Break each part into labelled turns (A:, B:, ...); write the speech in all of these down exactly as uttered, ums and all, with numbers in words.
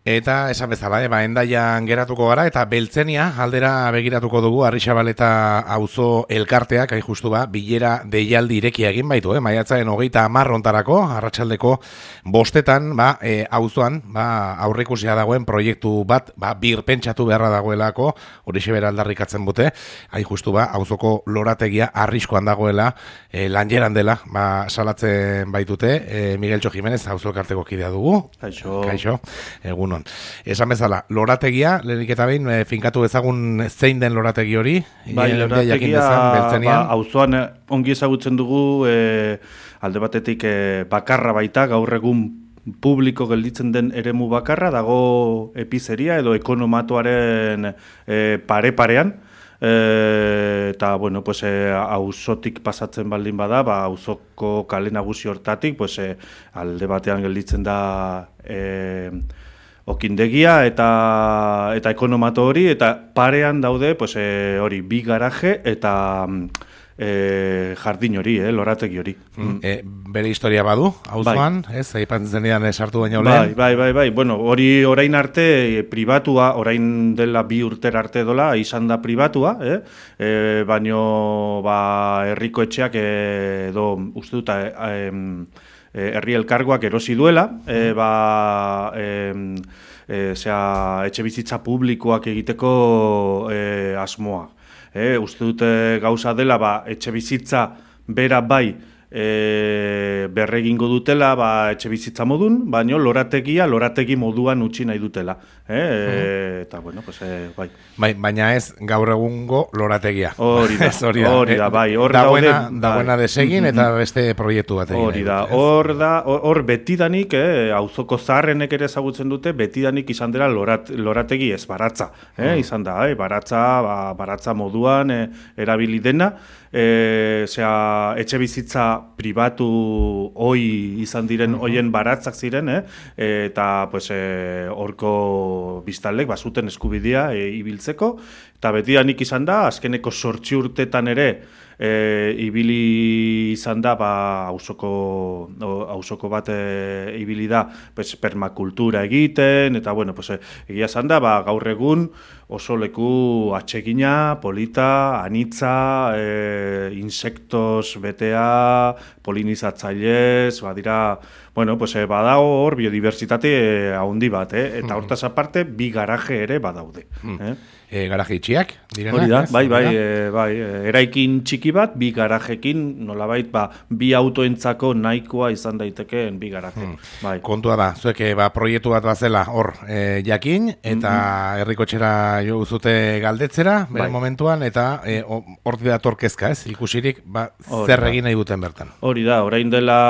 A: Eta esan bezala, eh, ba, Hendaian geratuko gara, eta Beltzenia aldera begiratuko dugu, Arritxabaleta auzo elkarteak, hain justu ba, bilera deialdi irekia egin baitu, eh, maiatzaren hogeita hamar hontarako, arratsaldeko bostetan, ba, e, auzoan, ba, aurreikusia dagoen proiektu bat, ba, birpentsatu beharra dagoelako, horixe bera aldarrikatzen bute, hain justu ba, auzoko lorategia arriskoan dagoela, e, lanjeran dela, ba, salatzen baitute, e, Migueltxo Jimenez, auzo elkarteko kidea dugu.
B: Kaixo.
A: Kaixo, egun. Esan bezala, lorategia, lehenik eta behin, e, finkatu ezagun zein den lorategi hori?
B: Bai,
A: E,
B: lorategia,
A: dezan,
B: ba, auzoan ongi ezagutzen dugu, e, alde batetik e, bakarra baita, gaur egun publiko gelditzen den eremu bakarra, dago epizeria edo ekonomatoaren e, pare-parean, E, eta, bueno, pues, e, auzotik pasatzen baldin bada, ba, auzoko kale nagusi hortatik, pues, e, alde batean gelditzen da e, okindegia eta eta ekonomato hori, eta parean daude, pues, e, hori, bi garaje eta e, jardin hori, eh, lorategi hori.
A: Mm. E, bere historia badu, auzoan, bai. Ez, aipatzen zenean sartu baino lehen.
B: Bai, bai, bai, bai, bueno, hori orain arte e, pribatua, orain dela bi urter arte dola, izan da pribatua, eh? E, baino, ba, herriko etxeak edo, uste dut, e, e, herri elkargoak erosi duela, e, ba, e, e, zera, etxe bizitza publikoak egiteko e, asmoa. E, uste dute gauza dela, ba, etxe bizitza bera bai e, berregingo dutela, ba, etxe bizitza modun, baino lorategia lorategi moduan utzi nahi dutela. E, e, eta, bueno, pues, e, bai.
A: Bai, baina ez gaur egungo lorategia.
B: Hori da, hori da, hori da, bai. Hor
A: dagoena,
B: daude,
A: dagoena desegin eta beste proiektu bat egin.
B: Hori da, hor da, hor betidanik, eh, auzoko zaharrenek ere ezagutzen dute, betidanik izan dela lorat, lorategi ez baratza. Eh, mm. Izan da, eh, baratza, ba, baratza moduan eh, erabili dena, eh, zera, etxe bizitza pribatu hoi izan diren, mm-hmm. hoien baratzak ziren, eh, eta, pues, eh, horko biztanlek, bazuten eskubidea e, ibiltzeko, eta betidanik izan da, azkeneko zortzi urtetan ere, e, ibili izan da, ba, auzoko, auzoko bat e, ibili da, pues, permakultura egiten, eta, bueno, pues, egia izan da, ba, gaur egun oso leku atsegina, polita, anitza, e, insektos betea, polinizatzailez, badira, bueno, pues, eh, badago hor biodiversitate eh, haundi bat, eh? Eta hortaz aparte, bi garaje ere badaude. Eh?
A: E, garaje itxiak, direna?
B: Hori da, bai, bai, e, bai, eraikin txiki bat, bi garajekin, nolabait, ba, bi autoentzako nahikoa izan daitekeen bi garaje. Hmm. Bai.
A: Kontua da, zuek ba, proiektu bat bazela hor e, jakin, eta mm-hmm. herrikotxera jo zute galdetzera, bere bai. Momentuan, eta hor e, dator kezka, ez? Ikusirik, ba, zer egin nahi duten bertan.
B: Hori da, orain dela...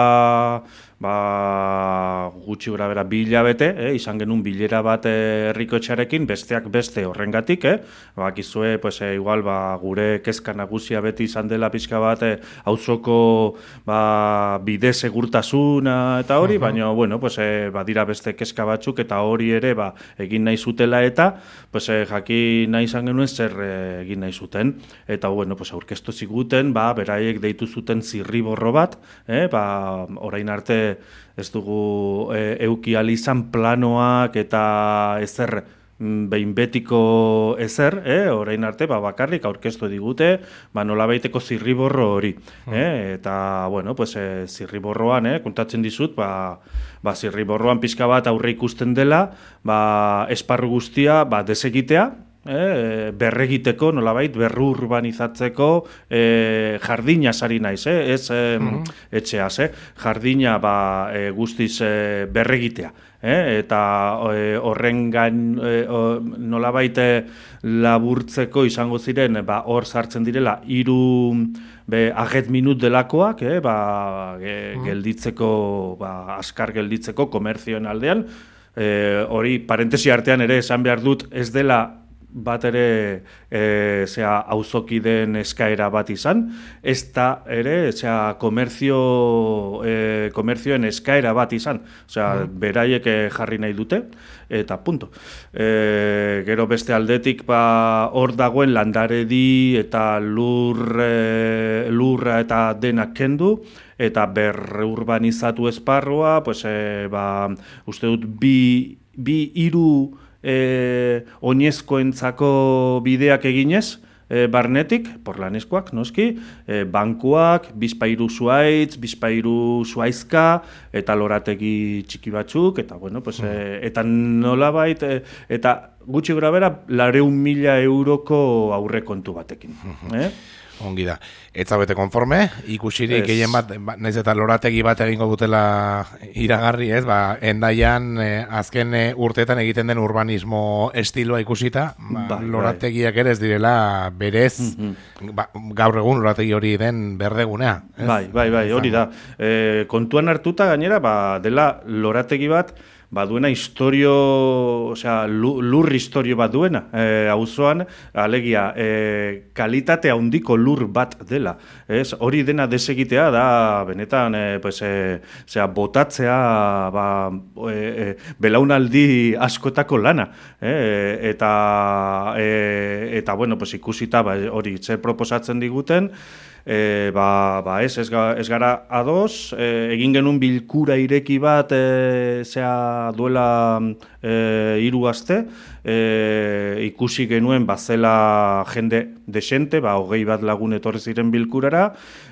B: ba, gutxi gura bera bi hilabete, eh, izan genuen bilera bat herrikotxearekin, besteak beste horrengatik, eh, bakizue, pues, eh, igual, ba, gure kezka nagusia beti izan dela pixka bat, eh, auzoko ba, bide segurtasuna eta hori, uh-huh. baina, bueno, pues, eh, badira beste kezka batzuk, eta hori ere, ba, egin nahi zutela eta, pues, eh, jaki nahi izan genuen zer eh, egin nahi zuten, eta, bueno, pues, aurkeztu ziguten, ba, beraiek deitu zuten zirriborro bat, eh, ba, orain arte ez dugu e, euki izan planoak eta ezer behin betiko ezer, eh? Orain arte ba, bakarrik aurkeztu digute, ba, nolabaiteko zirriborro hori. Eh? Eta, bueno, pues, e, zirriborroan, eh? kontatzen dizut, ba, ba, zirriborroan pixka bat aurre ikusten dela, ba, esparru guztia ba, desegitea, Eh, berregiteko, nolabait, berrurbanizatzeko eh, jardina sari naiz, eh? Ez eh, mm-hmm. etxeaz, eh? Jardina ba, eh, guztiz eh, berregitea. Eh? Eta eh, horren gain eh, nolabait laburtzeko izango ziren, ba, hor sartzen direla hiru be, aget minut delakoak, eh? ba, e, gelditzeko, ba, askar gelditzeko komerzioen aldean, eh, hori parentesi artean ere esan behar dut ez dela bat ere e, zera, auzokideen eskaera bat izan, ez da ere zera, komerzio, e, komerzioen eskaera bat izan, osea, mm. beraiek jarri nahi dute, eta punto. E, gero beste aldetik ba, hor dagoen landaredi eta lur, e, lurra eta denak kendu, eta berrurbanizatu esparrua, pues, e, ba, uste dut bi bi hiru e, oinezkoentzako bideak eginez, e, barnetik, porlaneskoak, noski, e, bankuak, bizpairu zuaitz, bizpairu zuaizka, eta lorategi txiki batzuk, eta, bueno, pues, e, eta nolabait, e, eta gutxi gora bera, lareun mila euroko aurrekontu batekin. Eh?
A: Ongi da. Ez zaudete konforme, ikusirik gehien bat, naiz eta lorategi bat egingo dutela iragarri, ez, ba, Hendaian eh, azken eh, urteetan egiten den urbanismo estiloa ikusita, ba, bai, lorategiak ere ez direla berez, mm-hmm. ba, gaur egun lorategi hori den berdegunea. Ez?
B: Bai, bai, bai, hori da. E, kontuan hartuta gainera, ba, dela lorategi bat, ba duena historio, osea, lur historio bat duena, eh, auzoan, alegia, eh, kalitate handiko lur bat dela. Ez? Hori dena desegitea da, benetan, eh, pues, eh, osea, botatzea, ba, eh, eh, belaunaldi askotako lana. Eh? Eta, eh, eta, bueno, pues, ikusita, ba, hori, zer proposatzen diguten, E, ba, ba ez, ez, ga, ez gara ados, e, egin genuen bilkura ireki bat e, zea duela e, hiru aste, e, ikusi genuen bazela jende desente, ba, hogei bat lagun etorri ziren bilkurara,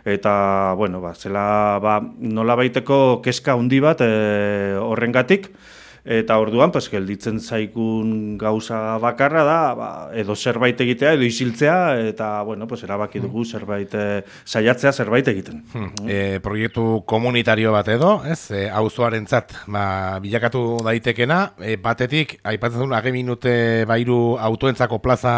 B: eta, bueno, ba, zela, ba, nola baiteko keska handi bat e, horrengatik, eta orduan, pues, gelditzen zaikun gauza bakarra da, ba, edo zerbait egitea, edo isiltzea, eta, bueno, pues, erabaki dugu zerbait, e, saiatzea zerbait egiten.
A: Hmm. E, proiektu komunitario bat edo, ez, e, auzoarentzat, ba, bilakatu daitekena, e, batetik, aipatzen duen, age minute bairu autoentzako plaza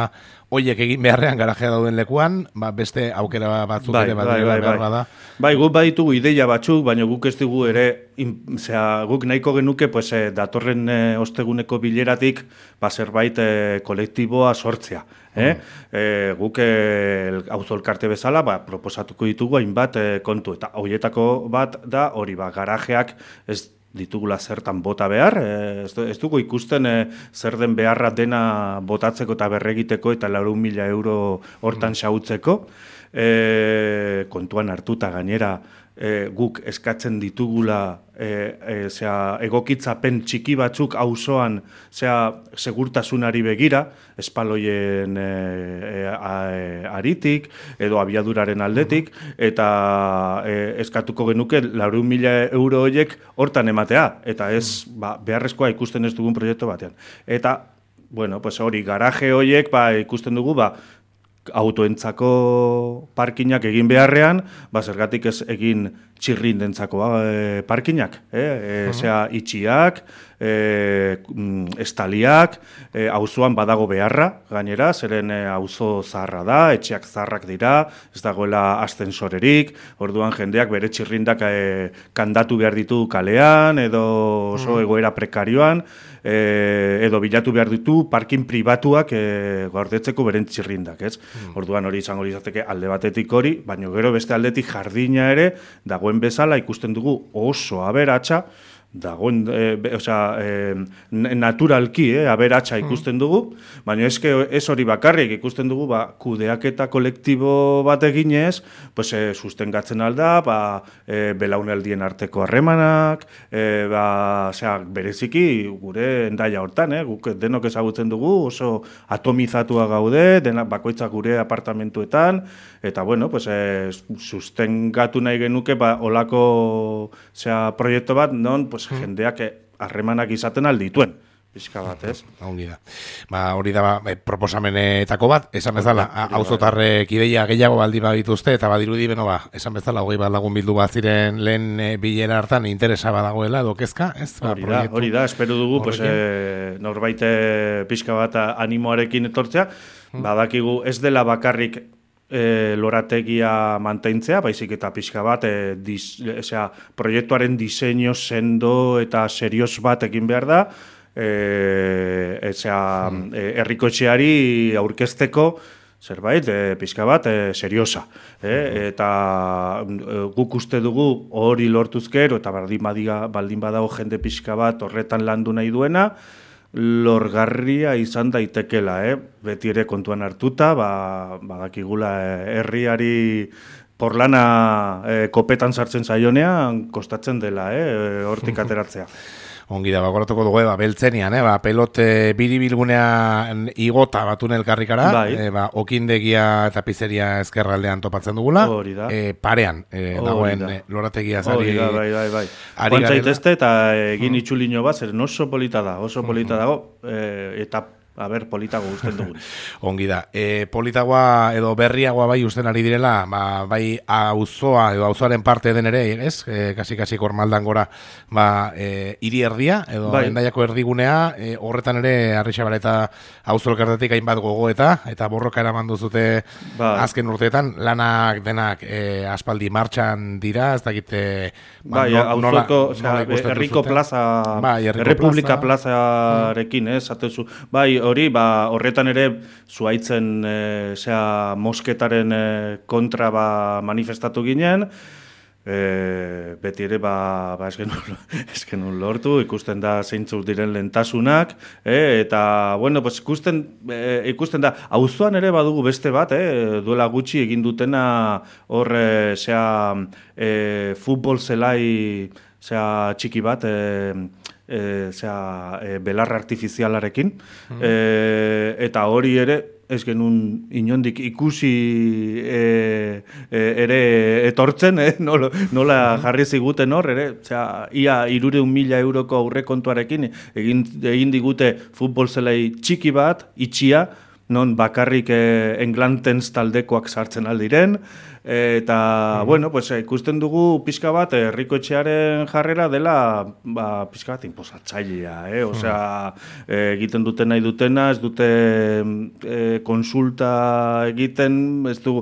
A: hoiek egin beharrean garajea dauden lekuan, ba, beste aukera batzuk
B: bai,
A: ere bat
B: bai, bai,
A: behar
B: bai.
A: bada.
B: Bai, guk baditugu ideia batzuk, baina guk ez dugu ere, in, zera, guk nahiko genuke, pues, eh, datorren eh, osteguneko bileratik, ba, zerbait eh, kolektiboa sortzea. Eh? Mm. Eh, guk eh, auzo elkarte bezala, ba, proposatuko ditugu hainbat eh, kontu, eta horietako bat da, hori, ba, garajeak ez ditugula zertan bota behar, ez, ez dugu ikusten e, zer den beharra dena botatzeko eta berregiteko eta laurehun mila euro hortan xautzeko, e, kontuan hartuta gainera e, guk eskatzen ditugula e, e, zera, egokitzapen txiki batzuk auzoan zera, segurtasunari begira, espaloien e, e, a, e, aritik edo abiaduraren aldetik, eta e, eskatuko genuke laurehun mila euro horiek hortan ematea, eta ez ba, beharrezkoa ikusten ez dugun proiektu batean. Eta, bueno, pues hori garaje horiek ba, ikusten dugu, ba, autoentzako parkinak egin beharrean, ba, zergatik ez egin txirrindentzako e, parkinak, eh? E, zera, itxiak, e, estaliak, e, auzoan badago beharra, gainera, zeren e, auzo zaharra da, etxeak zaharrak dira, ez dagoela ascensorerik, orduan jendeak bere txirrindak e, kandatu behar ditu kalean, edo oso egoera prekarioan, e, edo bilatu behar ditu parkin pribatuak e, gordetzeko beren txirrindak, ez? Mm. Orduan hori izango izateke alde batetik hori, baina gero beste aldetik jardina ere, dagoen bezala ikusten dugu oso aberatsa, dagoen, e, osea, e, naturalki, eh, aberatsa ikusten dugu, baina eske ez hori bakarrik ikusten dugu, ba, kudeaketa kolektibo bat eginez, pues, e, sustengatzen alda, ba, e, belaunaldien arteko harremanak, e, ba, osea, bereziki gure Hendaia hortan, eh, guk denok ezagutzen dugu, oso atomizatua gaude, dena bakoitzak gure apartamentuetan, eta bueno, pues, e, sustengatu nahi genuke, ba, olako, osea, proiektu bat, non, pues, jendeak harremanak izaten aldituen, pixka bat, ez?
A: Ongi da. Ba, hori da ba, proposamenetako bat, esan bezala, auzotarrek ideia gehiago baldi badituzte, eta badirudi beno ba, esan bezala, hogei bat lagun bildu bat ziren lehen e, bilera hartan interesa badagoela, edo kezka, ez? Ba,
B: hori da, hori da, espero dugu, pues, e, norbait pixka bat animoarekin etortzea, badakigu ez dela bakarrik E, lorategia mantentzea, baizik eta pixka bat, e, dis, esea, proiektuaren diseño sendo eta serios bat egin behar da, e, esea, mm. e, herrikotxeari aurkezteko zerbait, e, pixka bat, e, seriosa. E, eta e, guk uste dugu hori lortuzkero, eta baldin, badiga, baldin badago jende pixka bat horretan landu nahi duena, lorgarria izan daitekela, eh? Beti ere kontuan hartuta, ba, badakigula herriari porlana eh, kopetan sartzen zaionean kostatzen dela, eh? Hortik ateratzea.
A: Ongi da, bakoratuko dugu, ba, beltzenian, eh, ba, pelote biribilgunean igota batun elkarrikara, bai. e, ba, okindegia eta pizzeria ezkerraldean topatzen dugula, e, parean, e, dagoen e, lorategia zari.
B: Hori da, bai, bai, bai. Guantzaitezte eta egin itxulino bat, zer oso polita da, oso polita dago, e, eta a ber, politago usten dugu.
A: Ongi da. E, politagoa edo berriagoa bai usten ari direla, ba, bai auzoa edo auzoaren parte den ere, ez? E, kasi-kasi kormaldan gora, ba, e, hiri erdia, edo bai. Endaiako erdigunea, e, horretan ere Arrixabal eta auzo elkartetik hainbat gogoeta, eta borroka eraman duzute bai. Azken urteetan, lanak denak e, aspaldi martxan dira, ez dakite...
B: Ba, bai, auzoko, herriko plaza, bai, Errepublika plazarekin, ez? Atezu, bai, hori, ba, horretan ere zuaitzen e, zera, mosketaren e, kontra ba, manifestatu ginen, e, beti ere ba, ba, ez genuen lortu, ikusten da zeintzuk diren lentasunak, e, eta, bueno, pues, ikusten, e, ikusten da, auzoan ere badugu beste bat, e, duela gutxi egin dutena hor, e, zera, e, futbol zelai, zera, txiki bat, e, E, zera, e, belarra artifizialarekin, mm. e, eta hori ere, ez genuen inondik ikusi e, e, ere etortzen, eh? nola, nola jarri ziguten hor, ere, zera, ia irureun mila euroko aurrekontuarekin egin, egin digute futbol zelai txiki bat, itxia, non bakarrik eh, Englantens taldekoak sartzen aldiren, eta, mm. bueno, pues, ikusten dugu pixka bat, herriko etxearen jarrera dela, ba, pixka bat inposatzailea, eh? Osea, mm. eh, egiten duten nahi dutena, ez dute eh, konsulta egiten, ez du,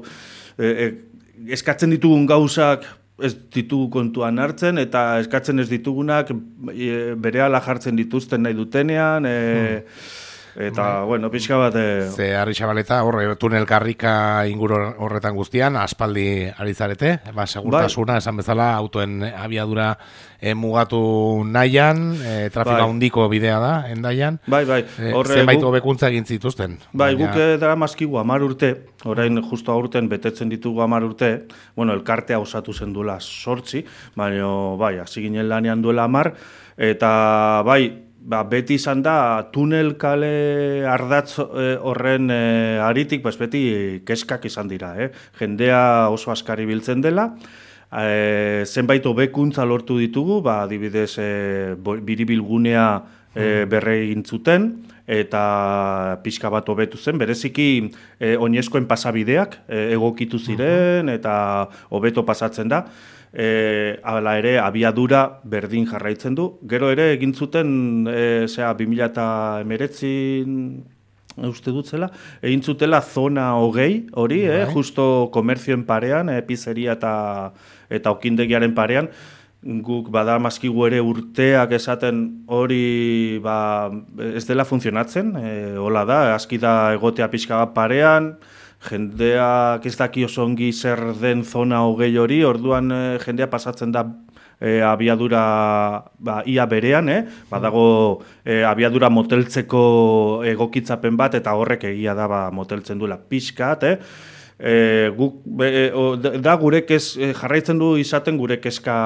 B: eh, eh, eskatzen ditugun gauzak, ez ditugu kontuan hartzen, eta eskatzen ez ditugunak e, berehala jartzen dituzten nahi dutenean, e, mm. Eta, bai. Bueno, pixka bat... E...
A: Ze Arrixabaleta, horre, tunel karrika inguru horretan guztian, aspaldi ari zarete, ba, segurtasuna, bai. Esan bezala, autoen abiadura e, mugatu nahian, e, trafika bai. Handiko bidea da, endaian.
B: Bai, bai.
A: Horre, zenbait hobekuntza egin zituzten.
B: Bai, baina... guk dara mazkigu amar urte, orain justo aurten betetzen ditugu amar urte, bueno, elkartea osatu zen duela sortzi, baina, bai, hasi ginen lanean duela amar, eta, bai, ba, beti izan da tunel kale ardatz e, horren e, aritik, pues beti keskak izan dira. Eh? Jendea oso askari biltzen dela, e, zenbait hobekuntza lortu ditugu, ba, adibidez e, biribilgunea e, berre egin zuten, eta pixka bat hobetu zen, bereziki e, oinezkoen pasabideak e, egokitu ziren, eta hobeto pasatzen da. E, ala ere, abiadura berdin jarraitzen du. Gero ere, egin zuten, e, zera, bi mila hemeretzi uste dut zela, egin zutela zona hogei, hori, eh, justo komerzioen parean, e, pizzeria eta, eta okindegiaren parean, guk badamazkigu ere urteak esaten hori ba, ez dela funtzionatzen, e, hola da, aski da egotea pixka bat parean, jendeak ez daki oso ongi zer den zona hogei hori, orduan e, jendea pasatzen da e, abiadura ba, ia berean, eh? Badago e, abiadura moteltzeko egokitzapen bat, eta horrek egia da ba, moteltzen duela pixkat, eh? E, guk, e, o, da gure kez, e, jarraitzen du izaten gure kezka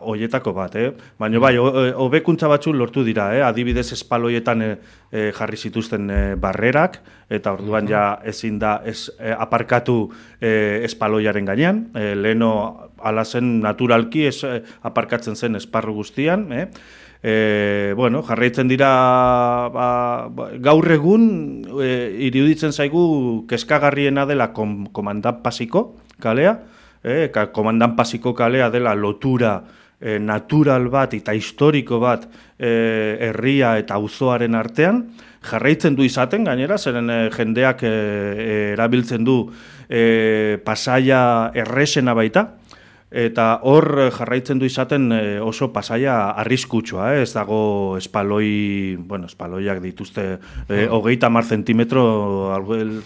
B: hoietako bat, eh? Baina bai, hobekuntza batzu lortu dira, eh? Adibidez espaloietan e, e, jarri zituzten e, barrerak, eta orduan ja ezin da ez, e, aparkatu e, espaloiaren gainean, e, leheno ala zen naturalki ez, e, aparkatzen zen esparru guztian, eh? E, bueno, jarraitzen dira ba, ba, gaur egun e, iruditzen zaigu kezkagarriena dela kom, komandan pasiko kalea, e, komandan pasiko kalea dela lotura e, natural bat eta historiko bat e, herria eta auzoaren artean, jarraitzen du izaten gainera, zeren e, jendeak e, e, erabiltzen du e, pasaia erresena baita, eta hor jarraitzen du izaten oso pasaia arriskutsua, eh? Ez dago espaloi, bueno, espaloiak dituzte eh, hogeita hamar zentimetro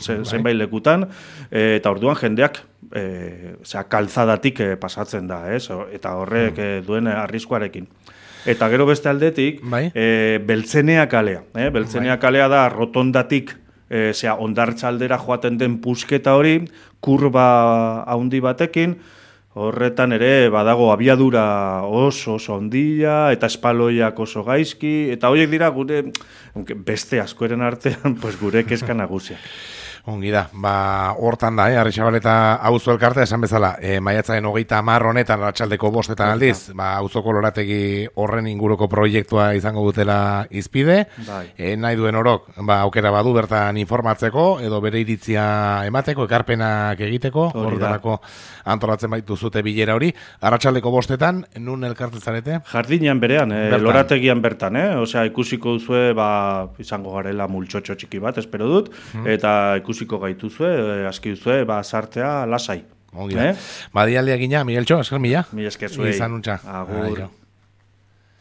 B: zenbait lekutan, eh, eta orduan jendeak eh, zera, kalzadatik eh, pasatzen da, eh? Eta horrek eh, duen arriskuarekin. Eta gero beste aldetik, eh, Beltzenea kalea. Eh? Beltzenea kalea da rotondatik, eh, ondartza aldera joaten den pusketa hori, kurba handi batekin, Horretan ere badago abiadura oso oso ondila eta espaloiak oso gaizki eta horiek dira gure beste askoren artean pues gure kezka nagusiak.
A: Ongi da, ba, hortan da, eh, Arritxabaleta auzo elkartea esan bezala, eh, maiatzaren hogeita hamar honetan, arratsaldeko bostetan aldiz, ba, auzoko lorategi horren inguruko proiektua izango dutela izpide,
B: bai.
A: eh, nahi duen orok, ba, aukera badu bertan informatzeko, edo bere iritzia emateko, ekarpenak egiteko, horretarako antolatzen baitu zute bilera hori, arratsaldeko bostetan, nun elkartzen zarete?
B: Jardinean berean, eh, lorategian bertan, eh? Osea, ikusiko duzue, ba, izango garela multxotxo txiki bat, espero dut, hmm. eta ikusiko gaituzue, eh, aski duzue, ba, sartzea lasai.
A: Ongi da. Eh? Badialdia gina, Migueltxo, esker mila.
B: Mila esker zuei.
A: Izan untxa.
B: Agur.